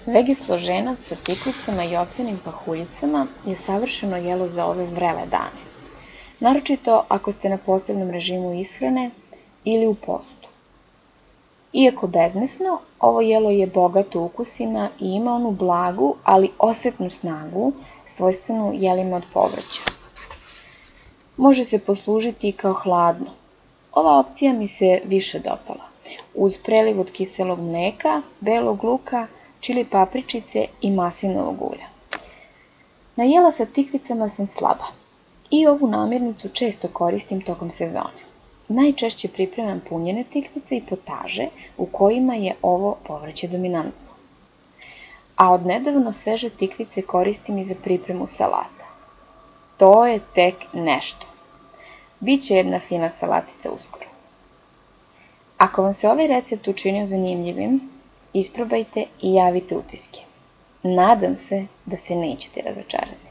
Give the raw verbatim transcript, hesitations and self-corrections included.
Vege složenac sa tikvicama i ovsenim pahuljicama je savršeno jelo za ove vrele dane, naročito ako ste na posebnom režimu ishrane ili u postu. Iako bezmesno, ovo jelo je bogato ukusima i ima onu blagu, ali osetnu snagu, svojstvenu jelima od povrća. Može se poslužiti i kao hladno. Ova opcija mi se više dopala, uz preliv od kiselog mleka, belog luka, čili papričice i maslinovog ulja. Na jela sa tikvicama sam slaba i ovu namirnicu često koristim tokom sezone. Najčešće pripremam punjene tikvice i potaže u kojima je ovo povrće dominantno. A odnedavno sveže tikvice koristim i za pripremu salata. To je tek nešto. Biće jedna fina salatica uskoro. Ako vam se ovaj recept učinio zanimljivim, isprobajte i javite utiske. Nadam se da se nećete razočarati.